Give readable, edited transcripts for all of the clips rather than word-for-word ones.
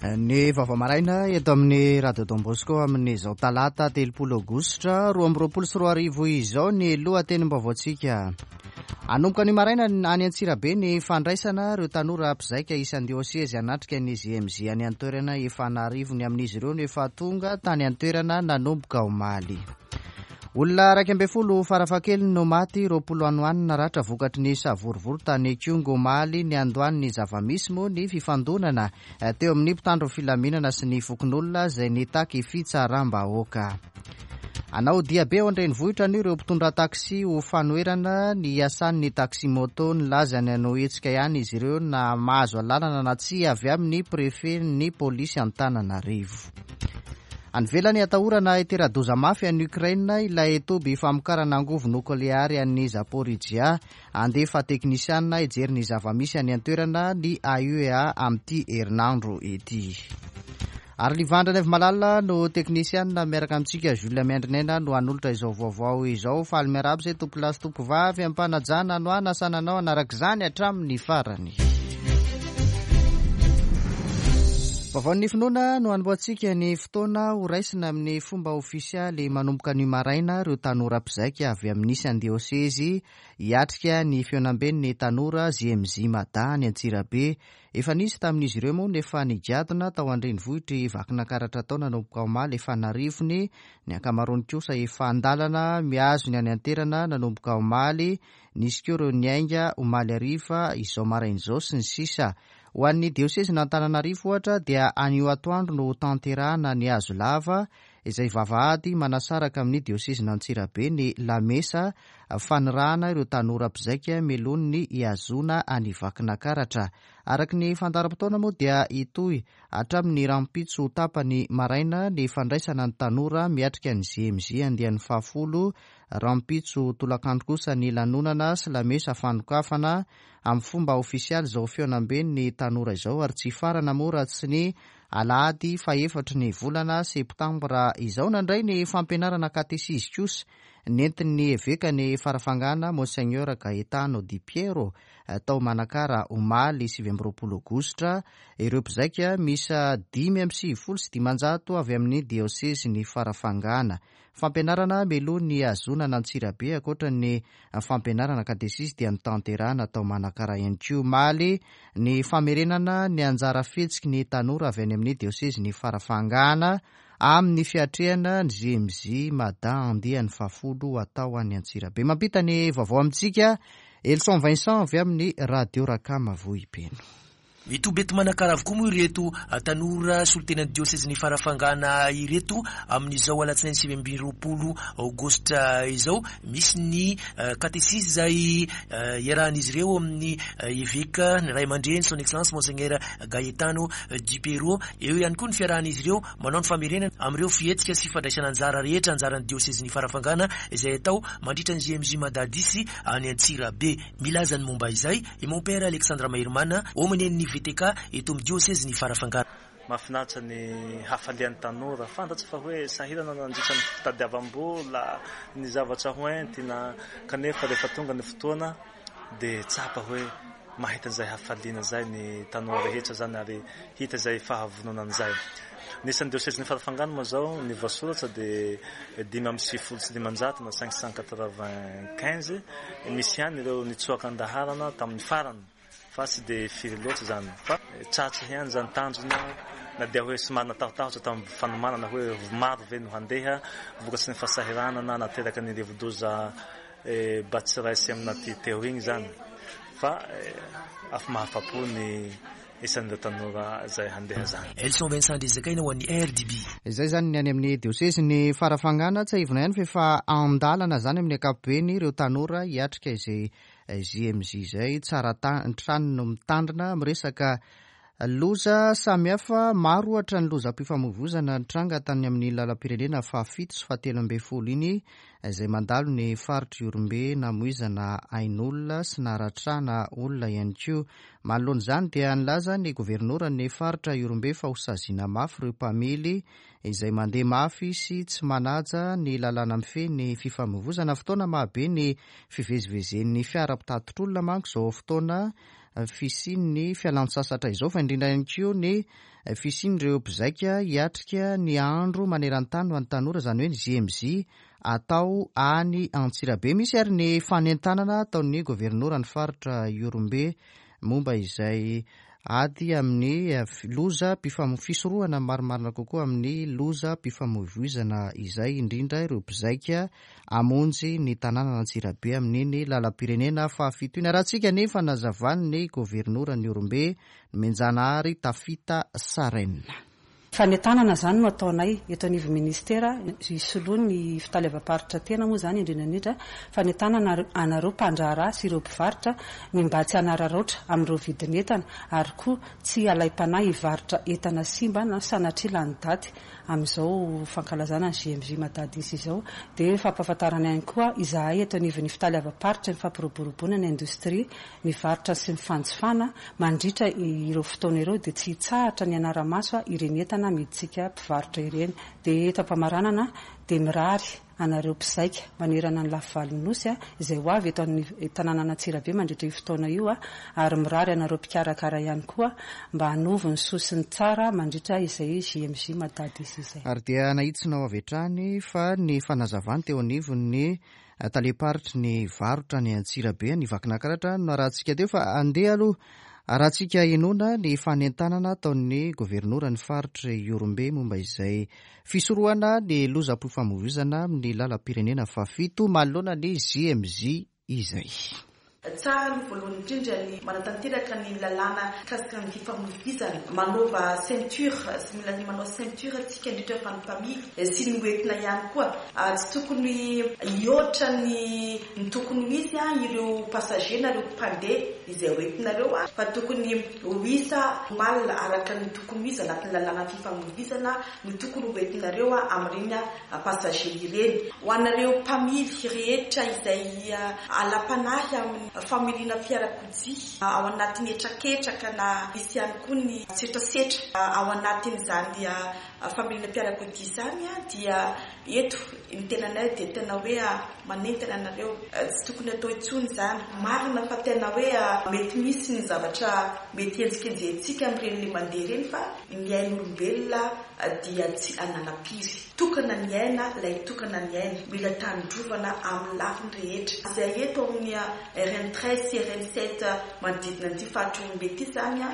Ny vaovao maraina eto amin'ny Radio Don Bosco amin'izao talata 30 aogositra 2022 izao ny lohatenim-baovaontsika. Hanomboka anio maraina any Antsirabe ny fandraisana ireo tanora mpizaika isan-diosezy hanatrika ny JMJ any an-toerana. Efa an'arivony amin'izy ireo no efa tonga tany an-toerana nanomboka omaly. Olona 11 farafahakeliny no maty, 20 any ho any naratra vokatry ny savorovoro tany Ikongo omaly. Niandohan'ny zava-misy moa ny fifandonana teo amin'ny mpitandro filaminana sy ny fokonolona izay nitaky fitsaram-bahoaka. Hanao diabe ao an-drenivohitra anio ireo mpitondra taxi ho fanoherana ny hiasan'ny taxi-moto. Nilaza ny hanao hetsika ihany izy ireo na mahazo alalana na tsia avy amin'ny prefet-n'ny polisy Antananarivo. Any ivelany, atahorana hitera-doza mafy any Ukraine ilay toby famokarana angovo nokleary an'i Zaporizhzhia. Handefa teknisiana hijery ny zava-misy any an-toerana ny AUEA amin'ity herinandro ity. Ary Livandra Naivomalala no teknisiana miaraka amintsika. Jules Miandrinaina no hanolotra izao vaovao izao. Faly miarahaba izay tompolahy sy tompovavy am-panajana no hanasana anao hanaraka izany hatramin'ny farany. Vaovaon'ny finoana no hanombohantsika ny fotoana ho raisina amin'ny fomba ofisialy manomboka anio maraina ireo tanora mpizaika avy amin'ny isan-diosezy hiatrika ny fihaonamben'ny tanora JMJ Mada any Antsirabe. Efa nisy tamin'izy ireo moa no efa nigadona tao an-drenivohitr'i Vakinankaratra tao nanomboka omaly, efa an'arivony, ny ankamaroany kosa efa an-dalana mihazo ny any an-toerana nanomboka omaly. Nisy koa ireo niainga omaly hariva, izao maraina izao, sy ny sisa Ho an'ny diosezin'Antananarivo ohatra dia anio atoandro no hotanterahana ny hazo lava izay vavahady manasaraka amin'ny diosezin'Antsirabe ny lamesa fanirahana ireo tanora mpizaika mialoha ny hihazoana an'i Vakinakaratra. Araka ny fandaharam-potoana moa dia hitohy hatramin'ny rahampitso tapany maraina ny fandraisana ny tanora miatrika ny JMJ andiany fahafolo Rahampitso tolakandro kosa ny lanonana sy lamesa fanokafana amin'ny fomba ofisialy izao fihaonamben'ny tanora izao ary tsy hifarana moa raha tsy ny alahady fahefatry ny volana septambra izao. Nandray ny fampianarana katesizy kosa nentin'ny evekan'i Farafangana Monseigneur Gaetano Di Piero tao Manakara omaly 29 aogositra ireo mpizaika miisa 595 avy amin'ny diosezin'i Farafangana. Fampianarana mialoha ny hahazoana an'Antsirabe ankoatra ny fampianarana katesisy dia notanterahana tao Manakara ihany koa omaly ny famerenana ny anjara fihetsiky ny tanora avy any amin'ny diosezin'i Farafangana amin'ny fiatrehana ny JMJ Mada andiany fahafolo hatao any Antsirabe. Mampita ny vaovao amintsika Elson Vincent avy amin'ny Radio Rakama Vohipeno. Mitoby eto Manakara avokoa moa ireto tanora solontenan'ny diosezin'i Farafangana ireto amin'izao alatsinainy 29 aogositra izao. Misy ny katesizy izay iarahan'izy ireo amin'ny eveka, ny ray aman-dreny, son excellence Monseigneur Gaetano Di Piero. Eo ihany koa ny fiarahan'izy ireo manao ny famerenana amin'ireo fihetsika sy fandraisana anjara rehetra anjaran'ny diosezin'i Farafangana izay atao mandritra ny JMJ Madadisy any Antsirabe. Milaza ny momba izay i Mompera Alexandre Maherimana, Aumônier-n'ny VTK eto amin'ny diosezin'i Farafangana. Mahafinaritra ny hafalian'ny tanora. Fantatro fa hoe sahirana nandritra ny fitadiavam-bola, ny zavatra ho entina, kanefa rehefa tonga ny fotoana dia tsapa hoe mahita an'izay hafaliana izay ny tanora rehetra izany ary hita izay fahavononana izay. Ny isan'ny diosezin'i Farafangana moa izao, ny voasoratra dia 595 na 595, misy ihany ireo nitsoaka an-daharana tamin'ny farany fa tsy dia firy loatra izany fa tratra ihany izany tanjona na dia hoe somary natahotahotra tamin'ny fanomanana hoe maro ve no handeha vokatry ny fahasahiranana nateraky ny rivodoza Batsirai sy Aminati teo igny izany fa mahafapo ny isan'ireo tanora izay handeha izany. Elson Vincent Andriazakaina ho an'ny RDB. Izay izany ny any amin'ny diosezin'i Farafangana. Tsiahivina ihany fa efa an-dalana izany amin'ny ankapobeny ireo tanora hiatrika izay JMJ izay. Tsara trano no mitandrina miresaka loza samihafa. Maro ohatra ny lozam-pifamoivoizana nitranga tany amin'ny lalam-pirenena fahafito sy fahatelo ambin'ny folo iny izay mandalo ny faritr'i Ihorombe namoizana ain'olona sy naharatrana olona ihany koa. Manoloana izany dia nilaza ny governoran'ny faritra Ihorombe fa ho saziana mafy ireo mpamily izay mandeha mafy sy tsy manaja ny lalàna mifehy ny fifamoivozana. Fotoana mahabe ny fivezivezen'ny fiara mpitatitr'olona manko izao fotoana. fisian'ny fialantsasatra izao fa indrindra ihany koa ny fisian'ireo mpizaika hiatrika ny andro maneran-tany ho an'ny tanora, izany hoe ny JMJ atao any Antsirabe. Misy ary ny fanentanana ataon'ny governoran'ny faritra Ihorombe momba izay ady amin'ny loza fisorohana marimarina kokoa amin'ny lozam-pifamoivoizana izay, indrindra ireo mpizaika hamonjy ny tanànan'Antsirabe amin'iny lalam-pirenena fahafito iny. Arahantsika ny fanazavan'ny governoran'i Ihorombe, Nomenjanahary Tafita Sarène. Fanentanana izany no ataonay eto anivon'ny Ministera, isoloany ny fitaleavam-paritra tena moa izany indrindra indrindra, fanentanana anareo mpandraharaha sy ireo mpivarotra ny mba tsy hanararaotra amin'ireo vidin'entana ary koa tsy halaim-panahy hivarotra entana simba na sanatria lany daty amin'izao fankalazana ny JMJ Madadis izao. Dia fampahafantarana ihany koa izahay eto anivon'ny fitaleavam-paritry ny fampiroboroboana ny indostria ny varotra sy ny fanjifana mandritra ireo fotoana ireo dia tsy hitsahatra ny hanara-maso ireny entana amidintsika mpivarotra ireny. Dia eto am-pamaranana dia mirary anareo mpizaika manerana ny lafivalon'ny Nosy izay ho avy eto amin'ny tanànan'Antsirabe mandritra io fotoana io ary mirary anareo mpikarakara ihany koa mba hanovo ny soa sy ny tsara mandritra izay JMJ Madadis izay. Ary dia nahitsinao avy hatrany fa ny fanazavany teo anivon'ny Talem-paritry ny varotra any Antsirabe any Vakinakaratra no narahantsika teo fa andeha aloha arahantsika henoina ny fanentanana ataon'ny governoran'ny faritry Ihorombe momba izay fisorohana ny lozam-pifamoivoizana amin'ny lalam-pirenena fahafito manoloana ny JMJ izay. Tsara aloha voalohany indrindra ny manatanteraka ny lalàna mikasika ny fifamoivoizana. Manaova ceinture, sy mila manao ceinture tsika indrindra fa ny mpamily sy ny hoentina ihany koa. Tsy tokony hihoatra ny ny tokony ho izy ireo passager na ireo mpandeha izay hoentinareo fa tokony ho isa normal araka ny tokony ho izy anatin'ny lalàna fifamoivoizana no tokony hoentinareo amin'ireny passager ireny. Ho anareo mpamily rehetra izay alam-panahy amin'ny familiana fiarakodia ao anatin'ny hetraketraka na misy ihany koa ny setrasetra ao anatin'izany familiana fiarakodia izany dia eto ny tenanay dia tena hoe manentana anareo. Tsy tokony atao intsony izany. Marina fa tena hoe mety misy ny zavatra mety henjikenjehintsika amin'ireny le mandeha ireny fa ny ain'olombelona dia tsy ananam-piry. Tokana ny aina, ilay tokana ny aina. Mila tandrovana amin'ny lafiny rehetra. Izay eto amin'ny RN 13 sy RN 7 manodidina an'ity faritra Ihorombe ity izany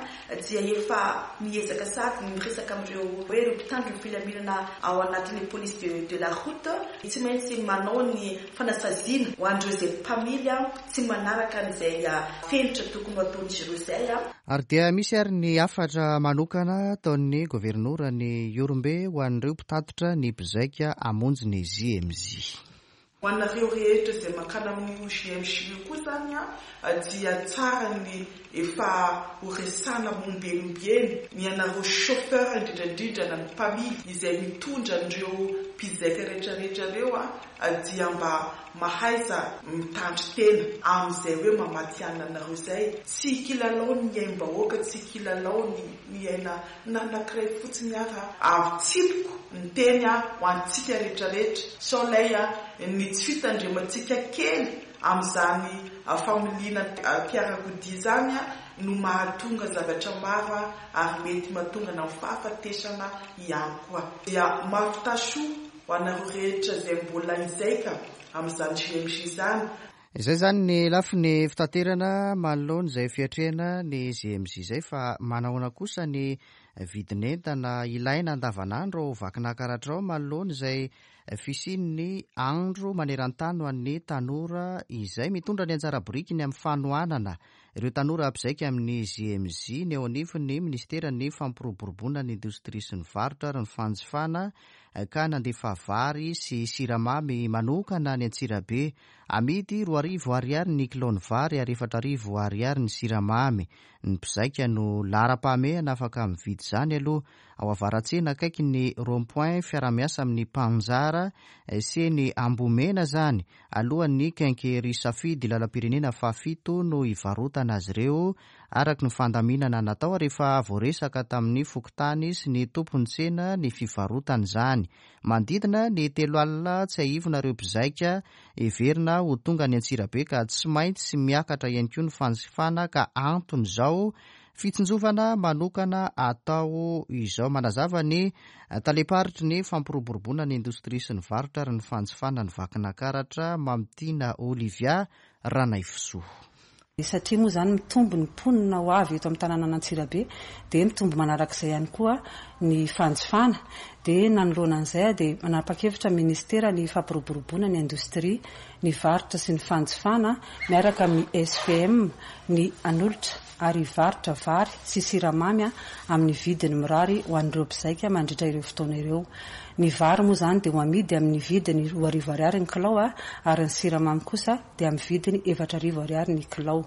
dia efa miezaka sady ny miresaka amin'ireo hoe ireo mpitandro ny filaminana ao anatin'ny police de de la route. Tsy maintsy manao ny fanasaziana ho an'ireo izay mpamily tsy manaraka an'izay fenitra tokony ho ataon'izy ireo izay. Ary dia misy ary ny hafatra manokana ataon'ny governoran'i Ihorombe ho an'ireo mpitatitra ny mpizaika hamonjy ny JMJ. Ho anareo rehetra izay mankany amin'io JMJ io koa izany dia tsara ny efa ho resahana ombieniombieny ny anareo chauffeur indrindra indrindra na ny mpamily izay mitondra an'ireo mpizaika rehetra rehetra ireo dia mba Mahaiza mitandry tena amin'izay hoe mamatihanina anareo izay. Tsy kilalao ny aim-bahoaka, tsy kilalao ny ny aina na anankiray fotsiny ara. Avitsipiko ny teny ho antsika rehetra rehetra sao lay ny tsy fitandremantsika kely amin'izany familiana fiarakodia izany no mahatonga zavatra maro ary mety mahatonga na fahafatesana ihany koa. Dia mahavità soa Ho anareo rehetra izay mbola hizaika amin'izany JMJ izany. Izay izany ny lafiny fitaterana manoloana izay fiatrehana ny JMJ izay fa manahoana kosa ny vidin'entana ilaina andavanandro ao Vakinakaratra ao manoloana izay fisian'ny andro maneran-tany ho an'ny tanora izay mitondra ny anjara birikiny amin'ny fanohanana ireo tanora mpizaika amin'ny JMJ ny eo anivon'ny minisiteran'ny fampiroboroboana ny indostria sy ny varotra ary ny fanjifana ka nandefa vary sy siramamy manokana any Antsirabe. Amidy 2000 ariary ny kilaon'ny vary ary 4000 ariary ny siramamy. Ny mpizaika no laharam-pahamehana afaka mividy izany aloha. Ao Avaratsena akaiky ny rond point fiarahamiasa amin'ny Mpanjara sy eny Ambohimena izany. Alohan'ny Quincaillerie Safidy lalam-pirenena fahafito no hivarotana azy ireo. araka ny fandaminana natao ary efa voaresaka tamin'ny fokontany sy ny tompon'ny tsena ny fivarotana izany. Manodidina ny 30 tsiahivina ireo mpizaika heverina ho tonga any Antsirabe ka tsy maintsy miakatra ihany koa ny fanjifana ka anton'izao fitsinjovana manokana atao izao. Manazava ny talem-paritry ny fampiroboroboana ny indostria sy ny varotra ary ny fanjifana ny Vakinankaratra, Mamitiana Olivia Ranaivosoa. Satria moa izany mitombo ny mponina ho avy eto amin'ny tanànan'Antsirabe dia mitombo manarak'izay ihany koa ny fanjifana. Dia nanoloana an'izay dia manapa-kevitra ny minisitera ny fampiroboroboana ny indostria, ny varotra sy ny fanjifana miaraka amin'ny SVM ny hanolotra ary hivarotra vary sy siramamy amin'ny vidiny mirary ho an'ireo mpizaika mandritra ireo fotoana ireo. Ny vary moa izany dia ho amidy amin'ny vidiny 2000 ariary ny kilao ary ny siramamy kosa dia amin'ny vidiny 4000 ariary ny kilao.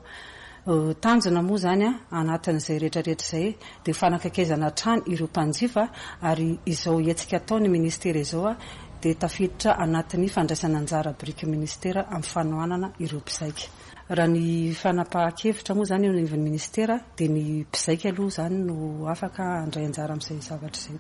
Tanjona moa izany anatin'izay rehetra rehetra izay dia ho fanakaikezana hatrany ireo mpanjifa ary izao hetsika ataon'ny minisitera izao dia tafiditra anatin'ny fandraisana anjara biriky minisitera amin'ny fanohanana ireo mpizaika. Raha ny fanapahan-kevitra moa izany eo anivon'ny minisitera dia ny mpizaika aloha izany no afaka handray anjara amin'izay zavatra izay.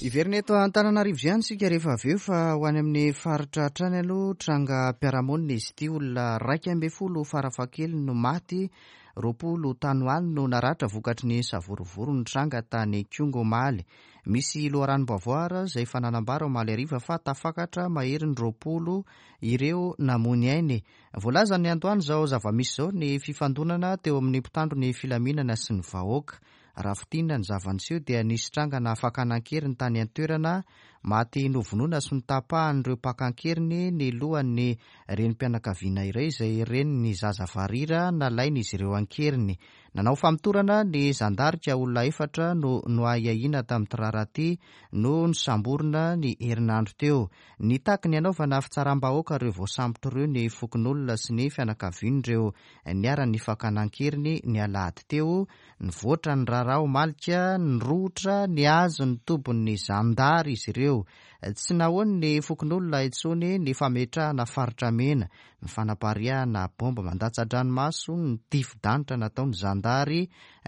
Hiverina eto Antananarivo ihany isika rehefa avy eo fa ho any amin'ny faritra hatrany aloha. Trangam-piarahamonina izy ity, olona 11 farafahakeliny no maty, 20 tany ho any no naratra vokatry ny savorovoro nitranga tany Ikongo omaly. Misy loharanom-baovao ary izay efa nanambara omaly hariva fa tafakatra maherin'ny 20 ireo namoy ny ainy. Voalazan'ny antoandro izao zava-misy izao ny fifandonana teo amin'ny mpitandro ny filaminana sy ny vahoaka. Raha fintinina ny zava-niseho dia nisy trangana fakana an-keriny tany an-toerana, maty novonoina sy notapahan'ireo mpaka an-keriny ny lohan'ny renim-pianakaviana iray izay renin'ny zaza varira nalain'izy ireo an-keriny. Nanao famotorana ny zandary ka olona efatra no noahiahiana tamin'ity raharaha ity no nosamborina ny herinandro teo. Nitaky ny hanaovana fitsaram-bahoaka ireo voasambotra ireo ny fokonolona sy ny fianakavian'ireo niharan'ny fakana an-keriny ny alahady teo. Nivoatra ny raharaha omaly ka nirohotra nihazo ny tobin'ny zandary izy ireo. Tsy nahoan'ny fokonolona intsony ny fametrahana faritra mena, ny fanapariahana baomba mandatsa-dranomaso, ny tifi-danitra nataon'ny zandary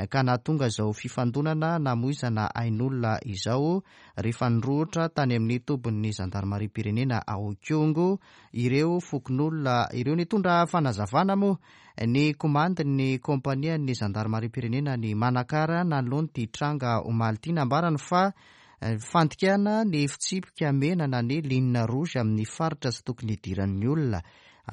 ka nahatonga izao fifandonana namoizana ain'olona izao rehefa nirohotra tany amin'ny tobin'ny zandarimariam-pirenena ao Ikongo ireo fokonolona ireo. Nitondra fanazavana moa ny komandin'ny kaompanian'ny zandarimariam-pirenena ny Manakara nanoloana ity tranga omaly ity. Nambarany fa fandikana ny fitsipika mena na ny ligne rouge amin'ny faritra tsy tokony hidiran'ny olona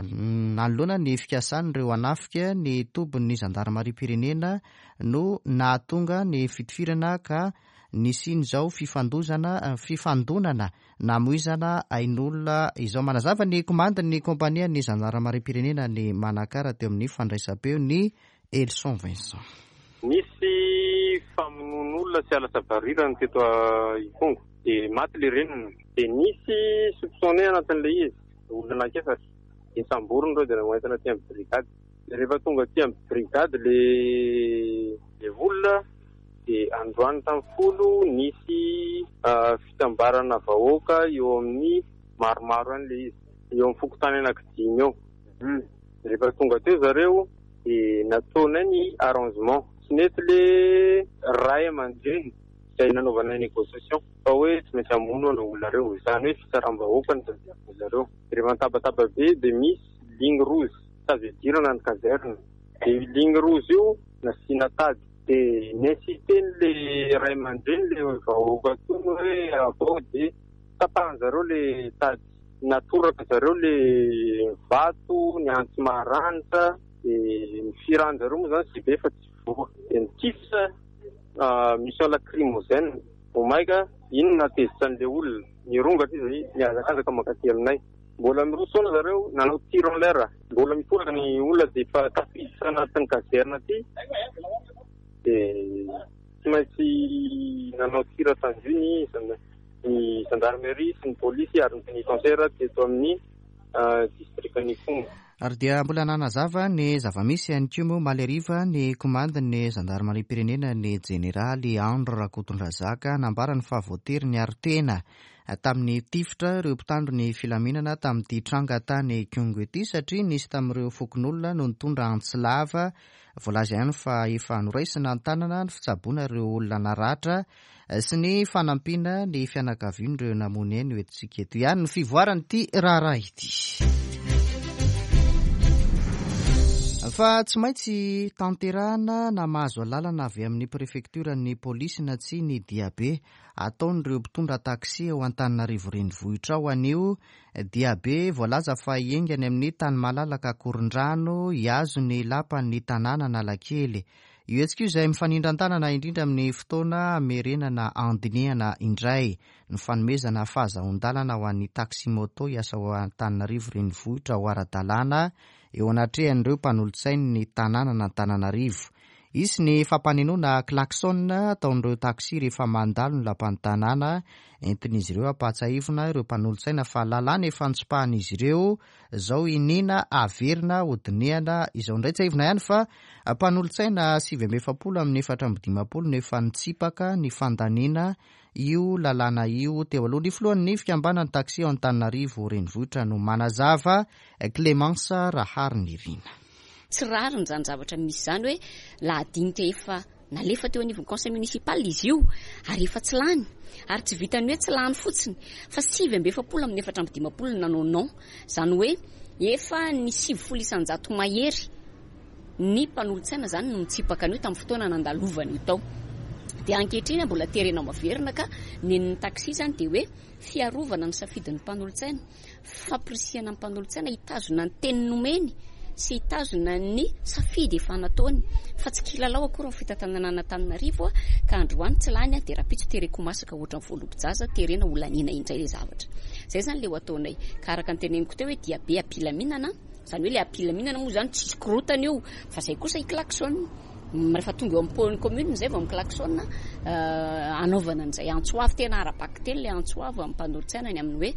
nanoloana ny fikasan'ireo hanafika ny tobin'ny zandarimariam-pirenena no nahatonga ny fitifirana ka nisian'izao fifandozana fifandonana namoizana ain'olona izao. Manazava ny komandin'ny kaompanian'ny zandarimariam-pirenena ny Manakara teo amin'ny fandraisam-peo ny Elson Vincent. Nisy famonoan'olona sy halatra varirana teto Ikongo dia maty ilay reniny. Dia nisy soupçonné anatin'ilay izy, olona anankiefatra. Dia samborina ireo dia noentina aty amin'ny brigade. Dia rehefa tonga aty amin'ny brigade ilay olona dia androany tamin'ny 10 nisy fitambarana vahoaka eo amin'ny maromaro any ilay izy, eo amin'ny fokontany anankidimy eo. Rehefa tonga teo zareo dia nataonay ny arrangement. Tsy nety le ray aman-dreny izay nanaovanay négociation fa hoe tsy maintsy hamono an'ireo olona ireo. Izany hoe fitsaram-bahoaka no tadiavin'ny zareo. Rehefa nitabataba be dia misy ligne rouge tsy azo idirana ny caserne. Dia io ligne rouge io nasiana tady. Dia ni-insiste-n'le ray aman-dreny le vahoaka tony hoe avao dia tapahan-jareo le tady. Natoraka zareo le vato, ny antsy maranitra, dia ny firan-jareo moa zany tsy be fa tsy voa. Dia nitifitra mission lacrymogène. Vao maika iny no nahatezitra an'ilay olona. Nirongatra izy nihazakazaka mankaty aminay. Mbola miroso foana zareo nanao tir en l'air. Mbola mitoraka ny olona dia efa tafiditra anatin'ny caserne aty dia tsy maintsy nanao tir tendu ny ny gendarmerie sy ny polisy ary ny pénitentiaire teto amin'ny distrikan'Ikongo. Ary dia mbola nanazava ny zava-misy ihany koa moa omaly hariva ny komandin'ny zandarimariam-pirenena ny jeneraly Andry Rakotondrazaka. Nambarany fa voatery niaro tena tamin'ny tifitra ireo mpitandro ny filaminana tamin'ity tranga tany Ikongo ity satria nisy tamin'ireo fokonolona no nitondra antsy lava. Voalaza ihany fa efa noraisina an-tanana ny fitsaboana ireo olona naratra sy ny fanampiana ny fianakavian'ireo namoy aina ho entintsika eto ihany ny fivoaran'ity raharaha ity. Fa tsy maintsy tanterahana na mahazo alalana avy amin'ny prefektioran'ny polisy na tsia ny diabe ataon'ireo mpitondra taxi ao Antananarivo renivohitra ao anio. Diabe voalaza fa hiainga any amin'ny tany malalaka Ankorondrano hihazo ny lapan'ny tanàna Analakely. Io hetsika io izay mifanindran-tanana indrindra amin'ny fotoana hamerenana handinihana indray ny fanomezana fahazahoan-dalana ho an'ny taxi-moto hiasa ao Antananarivo renivohitra ho ara-dalàna eo anatrehan'ireo mpanolotsain'ny tanànan'Antananarivo. Hisy ny fampanenoana klaxon ataon'ireo taxi rehefa mandalo ny lapan'ny tanàna. Entin'izy ireo hampahatsiahivina ireo mpanolotsaina fa lalàna efa notsipahan'izy ireo izao iniana averina hodinihana izao indray. Tsiahivina ihany fa mpanolotsaina 49 amin'ny 54 no efa nitsipaka ny fandaniana io lalàna io teo aloha. Ny filohan'ny fikambanan'ny taxi ao Antananarivo renivohitra no manazava, Clémence Raharinirina. Tsy rariny izany zavatra misy izany hoe lahadinika efa nalefa teo anivon'ny conseil municipal izy io ary efa tsy lany. Ary tsy vitan'ny hoe tsy lany fotsiny fa 49 amin'ny 54 no nanao non. Izany hoe efa ny 90 isan-jato mahery ny mpanolotsaina izany no nitsipaka an'io tamin'ny fotoana nandalovany io tao. Dia ankehitriny mbola terena maverina ka nen'ny taxi izany dia hoe fiarovana ny safidin'ny mpanolotsaina. Fampirisihana ny mpanolotsaina hitazona ny teny nomeny sy hitazona ny safidy efa nataony fa tsy kilalao akory ny fitantanana an'Antananarivo ka androany tsy lany dia rahampitso tereko ho masaka ohatran'ny voalobo-jaza terena ho laniana indray ilay zavatra. Izay izany ilay ho ataonay. Ka araka ny teneniko teo hoe diabe am-pilaminana, izany hoe ilay am-pilaminana moa izany tsisy korontana io fa izay kosa hi-klaxon. Rehefa tonga eo amin'ny commune izay vao mi-klaxon hanaovana an'izay antso avo, tena ara-bakiteny ilay antso avo amin'ny mpanolotsaina ny amin'ny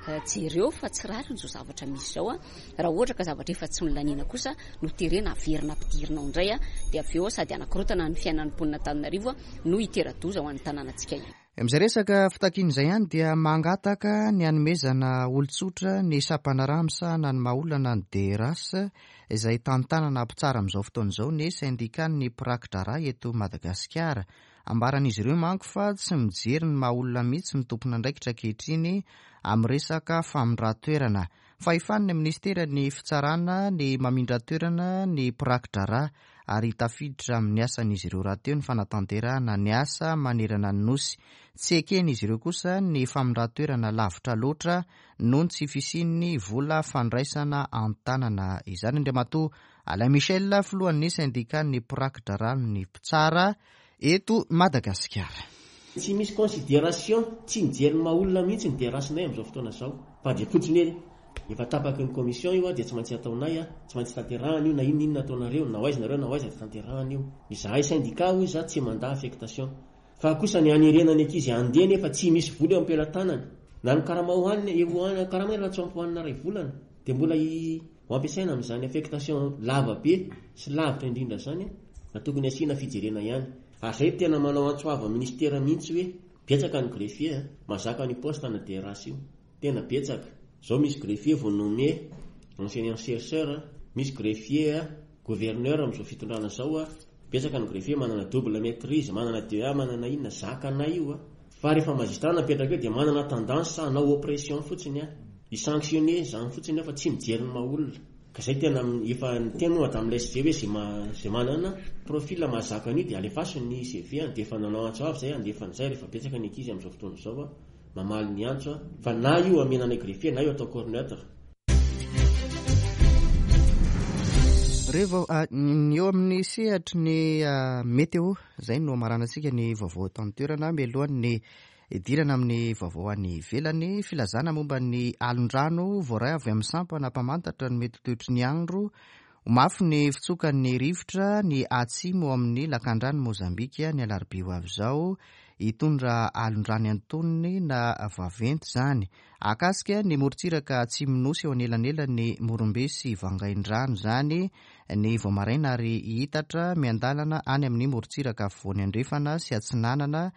hoe jereo fa tsy rariny izao zavatra misy izao a. Raha ohatra ka zavatra efa tsy nolaniana kosa no terena averina ampidirina ao indray dia avy eo sady hanakorontana ny fiainan'ny mponin'Antananarivo no hitera-doza ho an'ny tanànantsika ihany. Amin'izay resaka fitakiana izay ihany dia mangataka ny hanomezana olon-tsotra ny sampandraharaha misahana ny maha olona ny DRH izay tantanana mpitsara amin'izao fotoana izao ny sendikan'ny mpiraki-draharaha eto Madagasikara. Ambaran'izy ireo manko fa tsy mijery ny maha olona mihitsy ny tompon'andraikitra ankehitriny amin'ny resaka famindran-toerana. Fahefan'ny minisiteran'ny fitsarana ny mamindra toerana ny mpiraki-draharaha ary tafiditra amin'ny asan'izy ireo rahateo ny fanatanterahana ny asa manerana ny Nosy. Tsy eken'izy ireo kosa ny famindran-toerana lavitra loatra noho ny tsy fisian'ny vola fandraisana an-tanana izany. Andriamatoa Alain Michel, filohan'ny sendikan'ny mpiraki-draharahan'ny mpitsara eto Madagasikara. Tsy misy consideration, tsy mijery ny maha olona mihitsy ny DRH-nay amin'izao fotoana izao fa dia fotsiny hoe efa tapaky ny commission io dia tsy maintsy ataonay, tsy maintsy tanterahana io na inona inona ataonareo, na ho aiza nareo na ho aiza dia tanterahana io. Izahay syndicat hoy izaho tsy mandà affectation. Fa kosa ny hanerena ny ankizy handeha nefa tsy misy vola eo am-pelatanany. Na ny karama hohanina, eo karama efa tsy ampy hohanina iray volana dia mbola ho ampiasaina amin'izany affectation lava be sy lavitra indrindra izany fa tokony asiana fijerena ihany. Ary zay tena manao antso avo amin'ny ministera mihitsy hoe betsaka ny greffier a, mahazaka an'io poste ana DRH io. Tena betsaka. Zao misy greffier vao nommé enseignant chercheur, misy greffier gouverneur amin'izao fitondrana zao a, betsaka ny greffier manana double maitrise, manana DEA, manana inona, zakanay io a. Fa rehefa magistrat napetraka eo dia manana tendance hanao oppression fotsiny a, hi-sanctionner izany fotsiny eo fa tsy mijery ny maha olona. Ka zay tena efa niteny moa madame la SG hoe ze ze manana profil mahazaka an'io dia alefaso ny CV an, dia efa nanao antso avo zay handefa an'izay rehefa betsaka ny ankizy amin'izao fotoana izao a, mamaly ny antso a, fa na io amena anay greffier na io atao corps neutre. Revo, ny eo amin'ny sehatry ny météo, izay no hamaranantsika ny vaovao eto an-toerana mialohan'ny Hidirana amin'ny vaovao any ivelany, filazana momba ny alon-drano voaray avy amin'ny sampana mpamantatra ny mety ho toetry ny andro. Ho mafy ny fitsokan'ny rivotra ny atsimo amin'ny lakandran'i Mozambika ny alarobia ho avy izao. hitondra alon-drano antonony na vaventy izany. Hahakasika ny morontsiraka atsimon'ny Nosy eo anelanelan'ny Morombe sy Vangaindrano izany ny vao maraina ary hihitatra miandalana any amin'ny morontsiraka afovoany andrefana sy atsinanana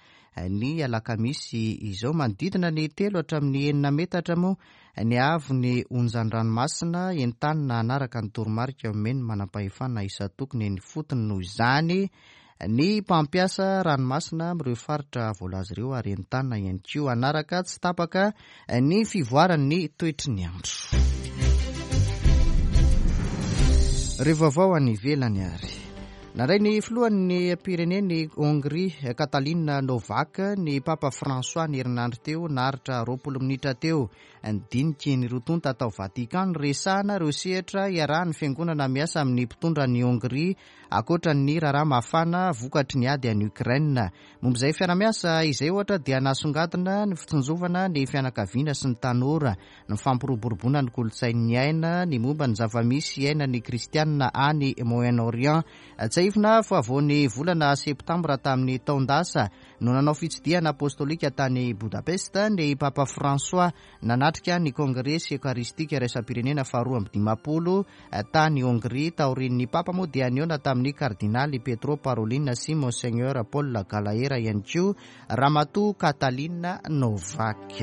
ny alakamisy izao. Manodidina ny telo hatramin'ny enina metatra moa ny haavon'ny onjan-dranomasina entanina hanaraka ny toromarika omen'ny manampahefana isan-tokony eny ifotony noho izany ny mpampiasa ranomasina amin'ireo faritra voalaza ireo ary entanina ihany koa hanaraka tsy tapaka ny fivoaran'ny toetry ny andro. Ireo vaovao any ivelany ary. Nandray ny filohan'ny pirenen'i Hongrie, Katalin Novak, ny Papa François ny herinandro teo, naharitra 20 minitra teo. Ny diniky ny roa tonta tao Vatican niresahana ireo sehatra iarahan'ny fiangonana miasa amin'ny mpitondra an'i Hongrie ankoatra ny raharaha mafana vokatry ny ady any Ukraine. Momba izay fiarahamiasa izay ohatra dia nasongadina ny fitsinjovana ny fianakaviana sy ny tanora, ny fampiroboroboana ny kolontsain'ny aina, ny momba ny zava-misy iainan'ny kristianina any Moyen-Orient. Tsiahivina fa vao ny volana septambra tamin'ny taon-dasa no nanao fitsidihana apostolika tany Budapest ny Papa François nanatrika ny Kongresy Eokaristika Iraisam-pirenena faharoa 52 tany Hongria. Taorian'ny Papa moa dia nihaona tamin'ny Kardinaly Pietro Parolin sy Monseigneur Paul Gallagher ihany koa Ramatoa Katalin Novak.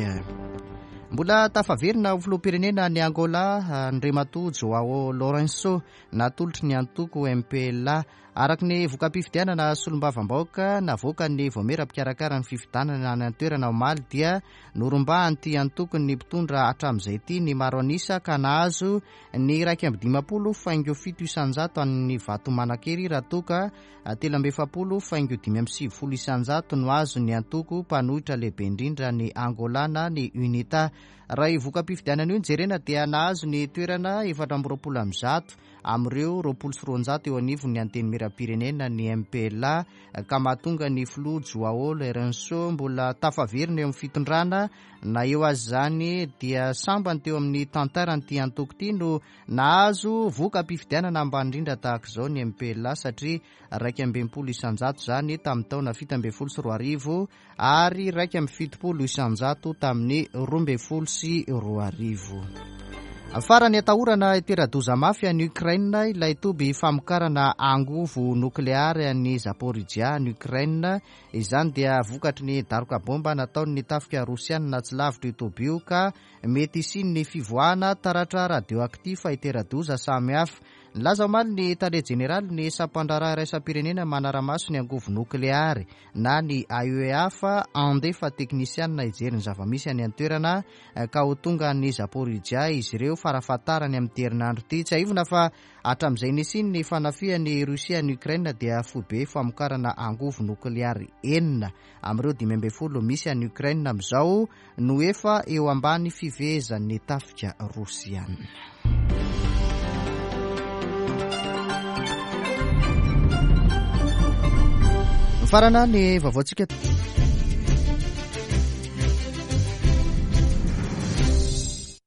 Mbola tafaverina ho filoham-pirenena any Angola Andriamatoa Joao Lourenço, natolotry ny antoko MPLA. Araka ny voka-pifidianana solombavambahoaka navoakan'ny vaomiera mpikarakara ny fifidianana any an-toerana omaly dia norombahan'ity antokon'ny mpitondra hatramin'izay ity ny maro an'isa ka nahazo ny 51.7% an'ny vato manan-kery raha toa ka 43.95% no azon'ny antoko mpanohitra lehibe indrindra ny Angola na ny UNITA. Raha io voka-pifidianana io no jerena dia nahazo ny toerana 124 amin'ireo 220 eo anivon'ny Antenimierampirenena ny MPLA ka mahatonga ny filoha Joao Lourenço mbola tafaverina eo amin'ny fitondrana na eo aza izany dia sambany teo amin'ny tantaran'ity antoko ity no Nahazo voka-pifidianana ambany indrindra tahaka izao ny MPLA satria 61% izany tamin'ny taona 2017 ary 71% tamin'ny 2012. Farany atahorana hitera-doza mafy any Ukraine ilay toby famokarana angovo nokleary any Zaporizhzhia any Ukraine. Izany dia vokatry ny daroka bomba nataon'ny tafika rosianina tsy lavitra io toby io ka Mety hisian'ny fivoahana taratra radioactif hitera-doza samihafa. Nilaza omaly ny tale jeneralin'ny sampandraharaha iraisam-pirenena manara-maso ny angovo nokleary na ny AEA fa handefa teknisianina hijery ny zava-misy any an-toerana ka ho tonga any Zaporizhzhia izy ireo farafahatarany amin'ity herinandro ity. Tsiahivina fa hatramin'izay nisian'ny fanafihan'i Russie an'i Ukraine dia foibe famokarana angovo nokleary enina amin'ireo 15 misy any Ukraine amin'izao no efa eo ambany fifehezan'ny tafika rosiana. Mifarana ny vaovaontsika.